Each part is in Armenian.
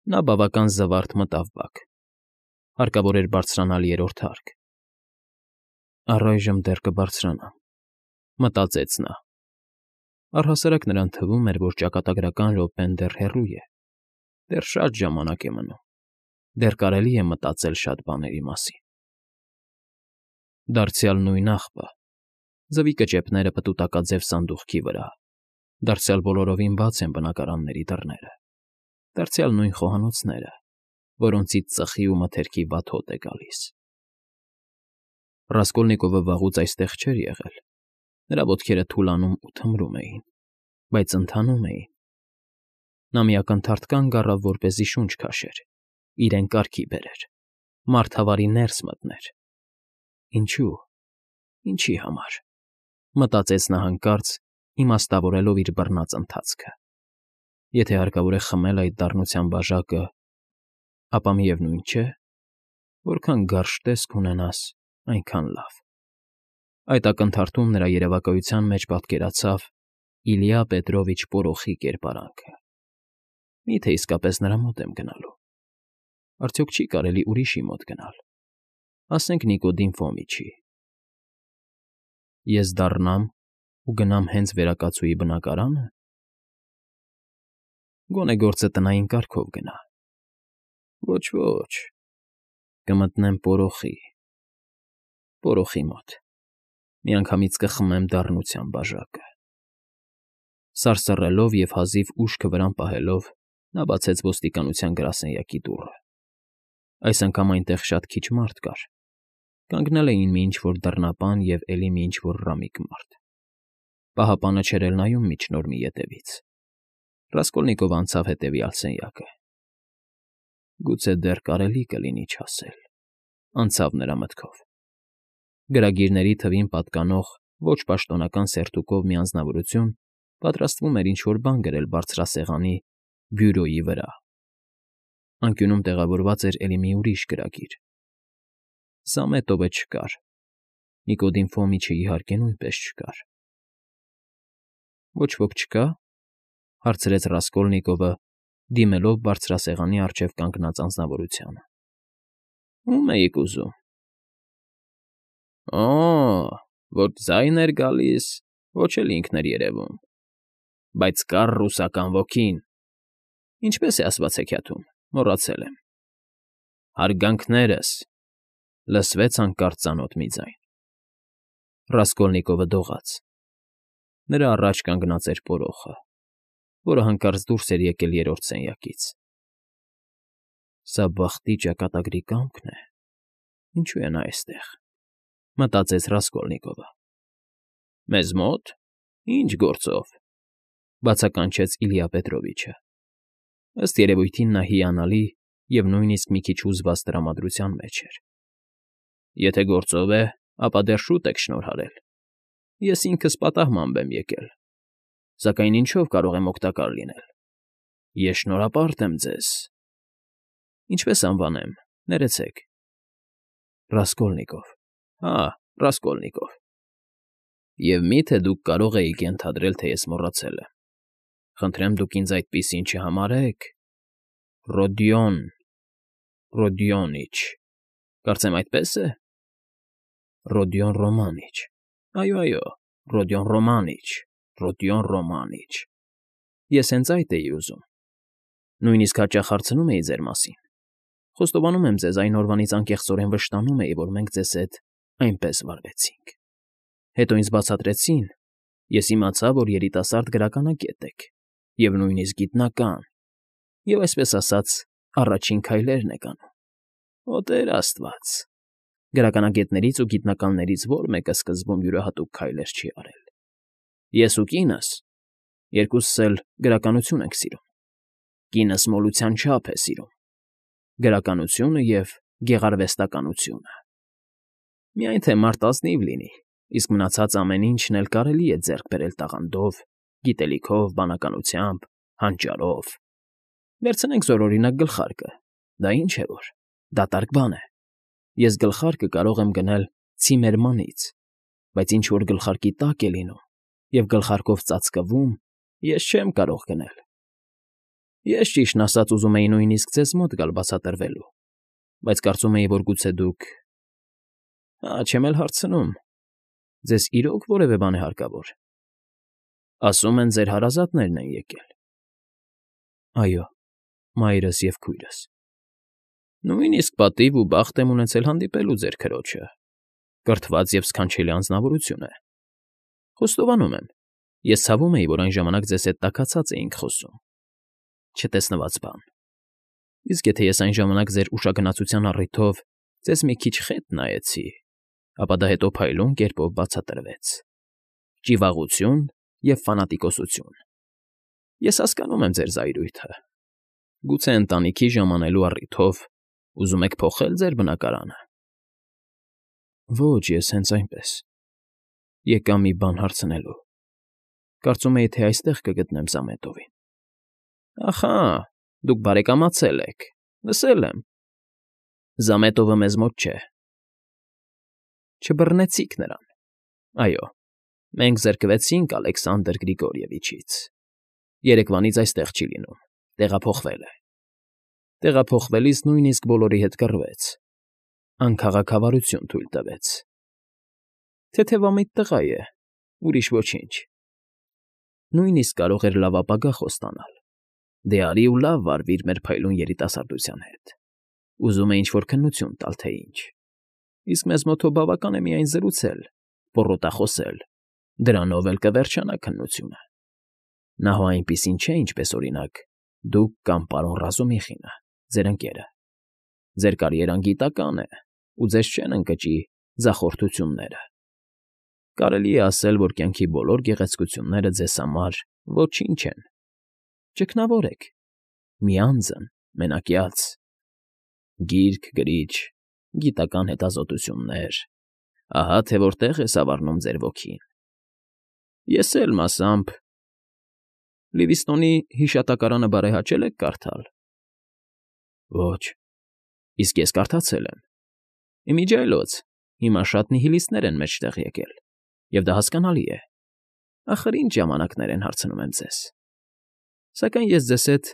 Նա բավական զվարթ մտավ բակ. հարկավոր էր բարձրանալ երրորդ հարկ։ Առայժմ դեռ կբարձրանամ, մտածեց նա։ Առհասարակ նրան թվում էր, որ ճակատագրական րոպեն դեռ հեռու է, դեռ շատ ժամանակ է մնում, դեռ կարելի է մտածել շատ բաների մասին։ Դարձյալ նույն աղբը, ձվի կճեպները պտուտակաձև սանդուղքի վրա, դարձյալ բոլորովին բաց են բնակարանների դռները, դարձյալ նույն խոհանոցները, որոնցից ծխի ու մթերքի վատ հոտ է գալիս։ Ռասկոլնիկովը վաղուց այստեղ չէր եղել, նրա ոտքերը թուլանում ու թմրում էին, բայց ընթանում էին։ Նա մի ակնթարթ կանգ առավ, որպեսզի շունչ քաշեր, իրեն կարգի բերեր, մարդավարի ներս մտներ։ Ինչու՞, ինչի համար, մտածեց նա հանկարծ, իմաստավորելով իր բռնած ընթացքը։ Եթե հարկավոր է խմել այդ դառնության բաժակը, ապա միևնույն չէ, որքան գարշ տեսք ունենաս, այնքան լավ։ Այդ ակնթարթում նրա երևակայության մեջ պատկերացավ Իլյա Պետրովիչ Պորոխի կերպարանքը։ Միթե իսկապես նրա մոտ եմ գնալու։ Արդյոք չի կարելի ուրիշի մոտ գնալ, ասենք Նիկոդիմ Ֆոմիչի։ Ես դառնամ ու գնամ հենց վերակացուի բնակարանը։ Գոնե գործը տնային կարգով գնա։ Ոչ, կմտնեմ Պորոխի մոտ, միանգամից կխմեմ դառնության բաժակը։ Սարսռելով և հազիվ ուշքը վրան պահելով, նա բացեց ոստիկանության գրասենյակի դուռը։ Այս անգամ այնտեղ շատ քիչ մարդ կար, կանգնել էին մի ինչ֊որ դռնապան և էլի մի ինչ֊որ ռամիկ մարդ։ Պահապանը չէր էլ նայում միջնորմի ետևից։ Ռասկոլնիկովը անցավ հետևյալ սենյակը։ Գուցե դեռ կարելի կլինի չասել, անցավ նրա մտքով։ Գրագիրների թվին պատկանող ոչ պաշտոնական սերտուկով մի անձնավորություն պատրաստվում էր ինչ֊որ բան գրել բարձրասեղանի բյուրոյի վրա։ Անկյունում տեղավորված էր էլի մի ուրիշ գրագիր։ Զամետովը չկար, Նիկոդիմ Ֆոմիչը իհարկե նույնպես չկար։ Ոչ ոք չկա՞, հարցրեց Ռասկոլնիկովը, դիմելով բարձրասեղանի առջև կանգնած անձնավորությանը։ Ո՞ւմ էիք ուզում։ Ոչ ձայն էր գալիս, ոչ էլ ինքն էր երևում, բայց կար ռուսական ոգին։ Ինչպե՞ս է ասված հեքիաթում, մոռացել եմ։ Հարգանքներս, լսվեց հանկարծ ծանոթ մի ձայն։ Ռասկոլնիկովը դողաց։ Նրա առաջ կանգնած էր Պորոխը, որը հանկարծ դուրս էր եկել երրորդ սենյակից։ Սա բախտի ճակատագրի կամքն է, ինչու է նա այստեղ, մտածեց Ռասկոլնիկովը։ Մեզ մո՞տ, ինչ գործով, բացականչեց Իլյա Պետրովիչը։ Ըստ երևույթին նա հիանալի և նույնիսկ մի քիչ հուզված տրամադրության մեջ էր։ Եթե գործով է, ապա դեռ շուտ եք շնորհարել։ Ես ինքս պատահմամբ եմ եկել, սակայն ինչով կարող եմ օգտակար լինել։ Ես շնորհապարտ եմ ձեզ։ Ինչպե՞ս անվանեմ, ներեցեք։ Ռասկոլնիկով։ Ռասկոլնիկով։ Եվ մի՞թե դուք կարող էիք ենթադրել, թե ես մոռացել եմ։ Խնդրեմ դուք ինձ այդպիսին չհամարեք։ Ռոդիոնիչ, կարծեմ այդպես է։ Ռոդիոն Ռոմանիչ։ Այո, Ռոդիոն Ռոմանիչ։ Ես հենց այդ էի ուզում։ Նույնիսկ հաճախ հարցնում էի ձեր մասին։ Խոստովանում եմ ձեզ, այն օրվանից անկեղծորեն վշտանում էի, որ մենք ձեզ հետ այնպես վարվեցինք։ Հետո ինձ բացատրեցին, ես իմացա, որ երիտասարդ գրականագետ եք, և նույնիսկ գիտնական, և այսպես ասած, առաջին քայլերն եք անում։ Օ Տեր Աստված, գրականագետներից ու գիտնականներից ո՞ր մեկը սկզբում յուրահատուկ քայլեր չի արել։ Ես ու կինս, երկուսս էլ գրականություն ենք սիրում։ Կինս մոլության չափ է սիրում, գրականությունը և գեղարվեստականությունը։ Միայն թե մարդ ազնիվ լինի, իսկ մնացած ամեն ինչն էլ կարելի է ձեռք բերել տաղանդով, գիտելիքով, բանականությամբ, հանճարով։ Վերցնենք զորօրինակ գլխարկը, դա ինչ է որ, դատարկ բան է։ Ես գլխարկը կարող եմ գնել ցիմերմանից, բայց ինչ որ գլխարկի տակ է լինում և գլխարկով ծածկվում, ես չեմ կարող գնել։ Ես ճիշտն ասած ուզում էի նույնիսկ ձեզ մոտ գալ բացատրվելու, բայց կարծում էի, որ գուցե դուք… չեմ էլ հարցնում, ձեզ իրոք որևէ բան է հարկավոր… Ասում են, ձեր հարազատներն են եկել… Այո, մայրս և քույրս… Նույնիսկ պատիվ ու բախտ եմ ունեցել հանդիպելու ձեր քրոջը, կրթված և սքանչելի անձնավորություն է… Խոստովանում եմ, ես ցավում էի, որ այն ժամանակ ձեզ հետ տաքացած էինք խոսում… Չտեսնված բան… Իսկ եթե ես այն ժամանակ ձեր ուշագնացության առիթով ձեզ մի քիչ խետ նայեցի, ապա դա հետո փայլուն կերպով բացատրվեց… Ճիվաղություն և ֆանատիկոսություն… Ես հասկանում եմ ձեր զայրույթը… Գուցե ընտանիքի ժամանելու առիթով ուզում եք փոխել ձեր բնակարանը… Ոչ, ես հենց այնպես… Եկա մի բան հարցնելու… Կարծում էի, թե այստեղ կգտնեմ Զամետովին… Ախա, դուք բարեկամացել եք, լսել եմ… Զամետովը մեզ մոտ չէ… Չբռնեցիք նրան… Այո, մենք զրկվեցինք Ալեքսանդր Գրիգորիևիչից… Երեկվանից այստեղ չի լինում, տեղափոխվել է… Տեղափոխվելիս նույնիսկ բոլորի հետ կռվեց… Անքաղաքավարություն թույլ տվեց… Թեթևամիտ տղա է, ուրիշ ոչինչ… Նույնիսկ կարող էր լավ ապագա խոստանալ… Դե արի ու լավ վարվիր մեր փայլուն երիտասարդության հետ… Ուզում է ինչ֊որ քննություն տալ, թե ինչ… Իսկ մեզ մոտ հո բավական է միայն զրուցել, պոռոտախոսել, դրանով էլ կվերջանա քննությունը… Նա հո այնպիսին չէ, ինչպես, օրինակ, դուք կամ պարոն Ռազումիխինը, ձեր ընկերը… Ձեր կարիերան գիտական է ու ձեզ չեն ընկճի ձախորդությունները… Կարելի է ասել, որ կյանքի բոլոր գեղեցկությունները ձեզ համար ոչինչ են… Ճգնավոր եք, մի անձն, մենակյաց… Գիրք, գրիչ, գիտական հետազոտություններ… Ահա թե որտեղ է սավառնում ձեր ոգին… Ես էլ մասամբ… Լիվիստոնի հիշատակարանը բարեհաճե՞լ եք կարդալ… Ոչ… Իսկ ես կարդացել եմ… Իմիջիայլոց, հիմա շատ նիհիլիստներ են մեջտեղ եկել… Եվ դա հասկանալի է… Ախր ինչ ժամանակներ են, հարցնում եմ ձեզ… Սակայն ես ձեզ հետ…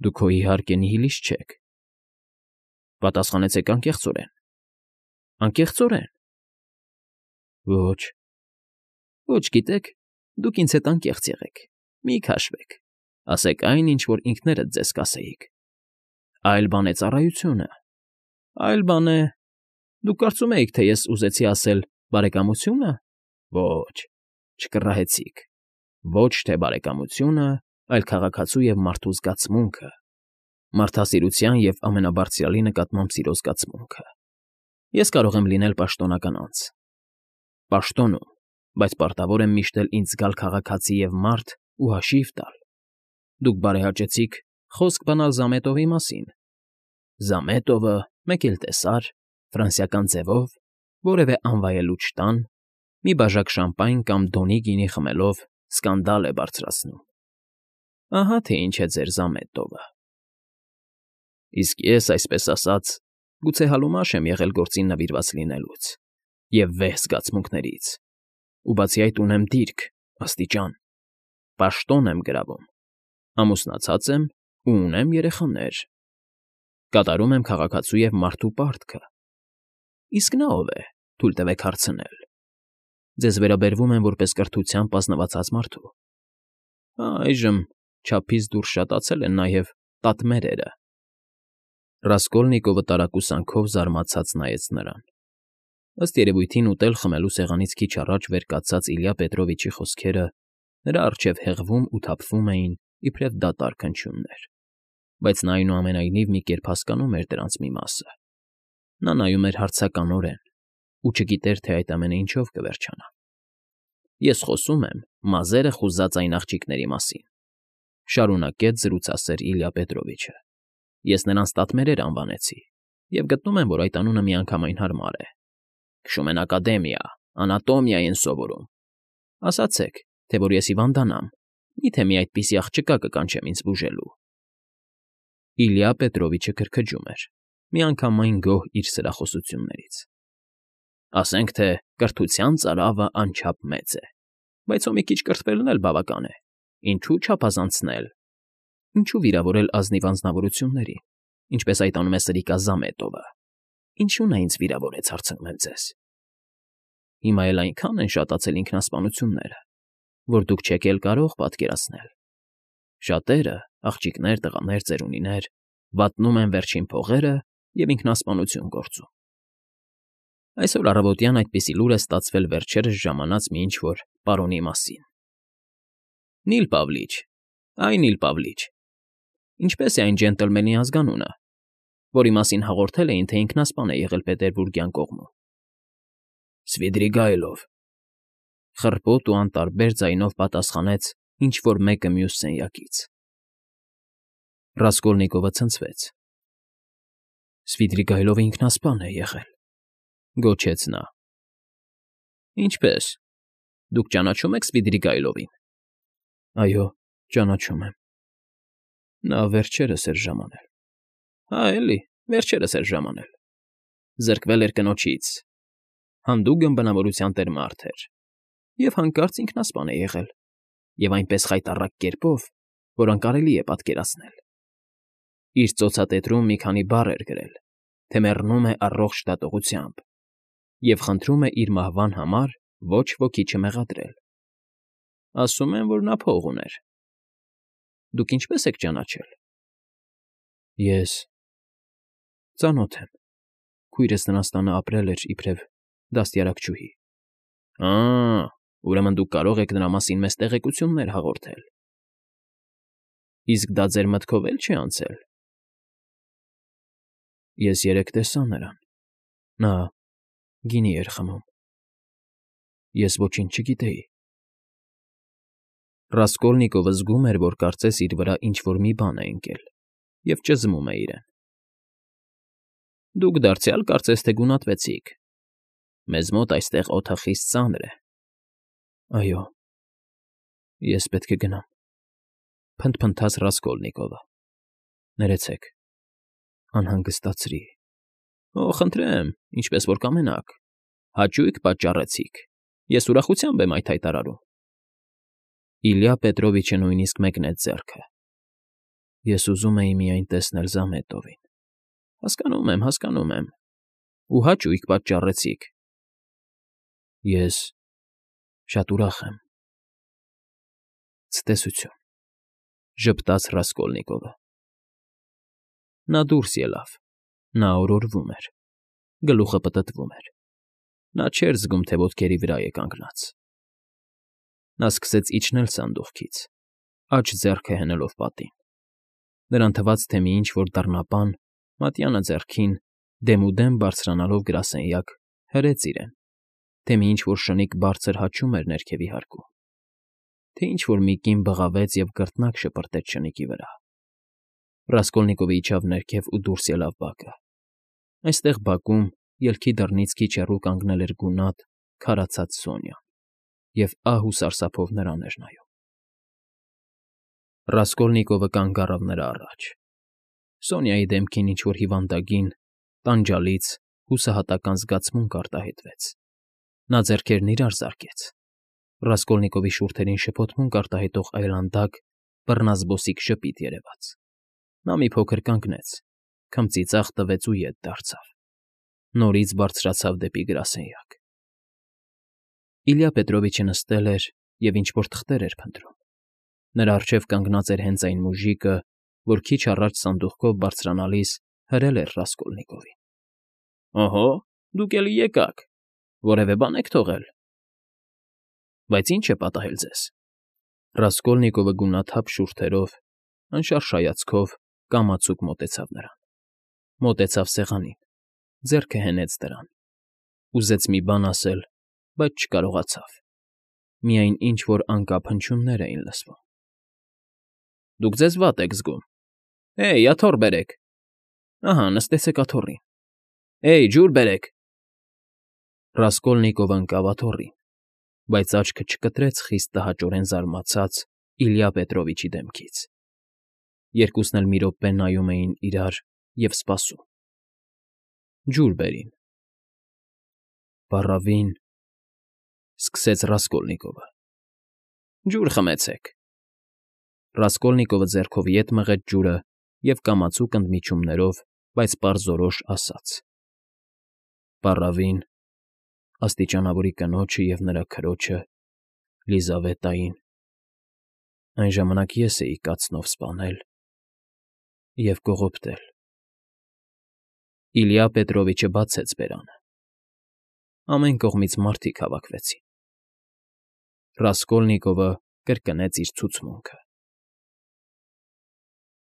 Դուք հո իհարկե նիհիլիստ չեք… Պատասխանեցեք անկեղծորեն… Անկեղծորեն… Ոչ… Ոչ, գիտեք, դուք ինձ հետ անկեղծ եղեք… Մի քաշվեք… Ասեք այն, ինչ որ ինքներդ ձեզ կասեիք… Այլ բան է ծառայությունը… Այլ բան է… Դուք կարծում էիք, թե ես ուզեցի ասել բարեկամությո՞ւնը… Ոչ… Չկռահեցիք… Ոչ թե բարեկամությունը, այլ քաղաքացու և մարդու զգացմունքը… Մարդասիրության և ամենաբարձրյալի նկատմամբ սիրո զգացմունքը… Ես կարող եմ լինել պաշտոնական անձ… Պաշտոնում, բայց պարտավոր եմ միշտ էլ ինձ զգալ քաղաքացի և մարդ ու հաշիվ տալ… Դուք բարեհաճեցիք խոսք բանալ Զամետովի մասին… Զամետովը, մեկ էլ տեսար, ֆրանսիական ձևով, որևէ անվայելուչ տան, մի բաժակ շամպայն կամ դոնի գինի խմելով սկանդալ է բարձրացնում… Ահա թե ինչ է ձեր Զամետովը… Իսկ ես, այսպես ասած, գուցե համալուշ եմ եղել գործին նվիրված լինելուց և վեհ զգացմունքներից, ու բացի այդ ունեմ դիրք, աստիճան, պաշտոն եմ գրավում, ամուսնացած եմ ու ունեմ երեխաներ… Կատարում եմ քաղաքացու և մարդու պարտքը… Իսկ նա ով է, թույլ տվեք հարցնել… Ձեզ վերաբերվում եմ որպես կրթությամբ ազնվացած մարդու… Այժմ չափից դուրս շատացել են նաև տատմերերը… Ռասկոլնիկովը տարակուսանքով զարմացած նայեց նրան… Ըստ երևույթին ուտել֊խմելու սեղանից քիչ առաջ վեր կացած Իլյա Պետրովիչի խոսքերը նրա առջև հեղվում ու թափվում էին իբրև դատարկ հնչյուններ, բայց նա այնուամենայնիվ մի կերպ հասկանում էր դրանց մի մասը… Նա նայում էր հարցականորեն ու չգիտեր, թե այդ ամենը ինչով կվերջանա… Ես խոսում եմ մազերը խուզած այն աղջիկների մասին,֊ շարունակեց զրուցասեր Իլյա Պետրովիչը,֊ ես նրանց տատմերեր անվանեցի և գտնում եմ, որ այդ անունը միանգամայն հարմար է… Քշում են ակադեմիա, անատոմիա են սովորում… Ասացեք, թե որ ես հիվանդանամ, մի՞թե մի այդպիսի աղջկա կկանչեմ ինձ բուժելու… Իլյա Պետրովիչը քրքջում էր, միանգամայն գոհ իր սրախոսություններից… Ասենք թե կրթության ծարավը անչափ մեծ է, բայց հո մի քիչ կրթվելն էլ բավական է, ինչու չափազանցնել… Ինչու վիրավորել ազնիվ անձնավորությունների, ինչպես այդ անում է Սրիկա Զամետովը։ Ինչու նա ինձ վիրավորեց, հարցնում եմ ձեզ։ Հիմա էլ այնքան են շատացել ինքնասպանությունները, որ դուք չեք էլ կարող պատկերացնել։ Շատերը, աղջիկներ, տղաներ, ծերունիներ, վատնում են վերջին փողերը և ինքնասպանություն գործում։ Այսօր առավոտյան այդպիսի լուր է ստացվել վերջերս ժամանած մի ինչ-որ պարոնի մասին։ Նիլ Պավլիչ, այ Նիլ Պավլիչ, ինչպես է այն ջենտլմենի ազգանունը, որի մասին հաղորդել էին, թե ինքնասպան է եղել Պետերբուրգյան կողմում։ Սվիդրիգայլով, խռպոտ ու անտարբեր ձայնով պատասխանեց ինչ֊որ մեկը մյուս սենյակից։ Ռասկոլնիկովը ցնցվեց։ Սվիդրիգայլովը ինքնասպան է եղել, գոչեց նա։ Ինչպե՞ս։ Դուք ճանաչում եք Սվիդրիգայլովին։ Այո, ճանաչում եմ։ Նա վերջերս էր ժամանել։ Հա, էլի, վերջերս էր ժամանել։ Զրկվել էր կնոջից։ Հանդուգն բնավորության տեր մարդ էր։ Եվ հանկարծ ինքնասպան է եղել։ Եվ այնպես խայտառակ կերպով, որ անկարելի է պատկերացնել։ Իր ծոցատետրում մի քանի բառ էր գրել, թե մեռնում է առողջ դատողությամբ և խնդրում է իր մահվան համար ոչ ոքի չմեղադրել։ Ասում են, որ նա փող ուներ։ Դուք ինչպե՞ս եք ճանաչել։ Ես ծանոթ եմ։ Քույրս նրանց տանը ապրել էր իբրև դաստիարակչուհի։ Ուրեմն դուք կարող եք նրա մասին մեզ տեղեկություններ հաղորդել։ Իսկ դա ձեր մտքով էլ չի անցել։ Ես երեկ տեսա նրան։ Նա գինի էր խմում։ Ես ոչինչ չգիտեի։ Ռասկոլնիկովը զգում էր, որ կարծես իր վրա ինչ֊որ մի բան է ընկել, և ճզմում է իրեն։ Դուք դարձյալ կարծես թե գունատվեցիք։ Մեզ մոտ այստեղ օդը խիստ ծանր է։ Այո, ես պետք է գնամ, փնթփնթաց Ռասկոլնիկովը։ Ներեցեք, անհանգստացրի։ Խնդրեմ, ինչպես որ կամենաք։ Հաճույք պատճառեցիք։ Ես ուրախությամբ եմ այդ հայտարարում։ Իլյա Պետրովիչը նույնիսկ մեկնեց ձեռքը։ Ես ուզում էի միայն տեսնել Զամետովին։ Հասկանում եմ։ Ու հաճույք պատճառեցիք։ Ես շատ ուրախ եմ։ Ցտեսություն, ժպտաց Ռասկոլնիկովը։ Նա դուրս ելավ։ Նա օրորվում էր։ Գլուխը պտտվում էր։ Նա չէր զգում, թե ոտքերի վրա է կանգնած։ Նա սկսեց իջնել սանդուղքից, աջ ձեռքը հենելով պատին։ Նրան թվաց, թե մի ինչ֊որ դռնապան, մատյանը ձեռքին, դեմուդեմ բարձրանալով գրասենյակ, հրեց իրեն, թե մի ինչ֊որ շնիկ բարձր հաչում էր ներքևի հարկում, թե ինչ֊որ մի կին բղավեց և կրտնակ շպրտեց շնիկի վրա։ Ռասկոլնիկովը իջավ ներքև ու դուրս ելավ բակը։ Այստեղ բակում, ելքի դռնից քիչ հեռու կանգնել էր գունատ, քարացած Սոնյան, և ահ ու սարսափով նրան էր նայում։ Ռասկոլնիկովը կանգ առավ նրա առաջ։ Սոնյայի դեմքին ինչ֊որ հիվանդագին, տանջալից, հուսահատական զգացմունք արտահայտվեց։ Նա ձեռքերն իրար զարկեց։ Ռասկոլնիկովի շուրթերին շփոթմունք արտահայտող այլանդակ, բռնազբոսիկ ժպիտ երևաց։ Նա մի փոքր կանգնեց, քմծի ծախ տվեց ու ետ դարձավ։ Նորից բարձրացավ դեպի գրասենյակ։ Իլյա Պետրովիչը նստել էր և ինչ֊որ թղթեր էր փնտրում։ Նրա առջև կանգնած էր հենց այն մուժիկը, որ քիչ առաջ սանդուղքով բարձրանալիս հրել էր Ռասկոլնիկովին։ Օհո, դուք էլի եկաք։ Որևէ բան եք թողել։ Բայց ի՞նչ է պատահել ձեզ։ Ռասկոլնիկովը գունաթափ շուրթերով, անշարժ հայացքով կամացուկ մոտեցավ նրան։ Մոտեցավ սեղանին, ձեռքը հենեց դրան։ Ուզեց մի բան ասել, բայց չկարողացավ։ Միայն ինչ֊որ անկապ հնչյուններ էին լսվում։ Դուք ձեզ վատ եք զգում։ Էյ, աթոռ բերեք։ Ահա, նստեցեք աթոռին։ Էյ, ջուր բերեք։ Ռասկոլնիկովը ընկավ աթոռին, բայց աչքը չկտրեց խիստ տհաճորեն զարմացած Իլյա Պետրովիչի դեմքից։ Երկուսն էլ մի րոպե նայում էին իրար և սպասում։ Ջուր բերին։ Փառավին, սկսեց Ռասկոլնիկովը։ Ջուր խմեցեք։ Ռասկոլնիկովը ձեռքով ետ մղեց ջուրը և կամացուկ ընդմիջումներով, բայց պարզորոշ ասաց. Պառավին, աստիճանավորի կնոջը և նրա քրոջը, Լիզավետային, այն ժամանակ ես էի կացնով սպանել և կողոպտել… Իլյա Պետրովիչը բացեց բերանը. ամեն կողմից մարդիկ հավաքվեցին… Ռասկոլնիկովը կրկնեց իր ցուցմունքը։